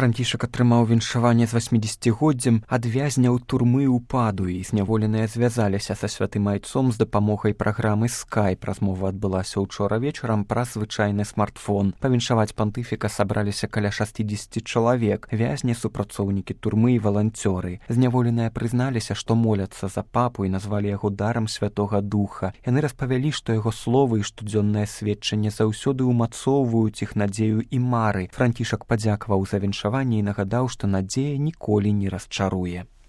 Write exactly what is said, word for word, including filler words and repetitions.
Францішак атрымаў віншаванне з васьмідзесяцігоддзем ад вязняў турмы ў Падуі. Зняволеныя звязаліся са святым айцом з дапамогай праграмы Skype. Размова адбылася ўчора вечарам праз звычайны смартфон. Павіншаваць пантыфіка сабраліся каля шасцідзесяці чалавек, вязні, супрацоўнікі турмы і валанцёры. Зняволеныя прызналіся, што моляцца за папу і назвалі яго дарам Святога Духа. Яны распавялі, што яго словы і штодзённае сведчанне заўсёды ўмацоўваюць іх надзею і мары. Францішак падзякаваў за віншаванне і нагадаў, што надзея ніколі не расчаруе.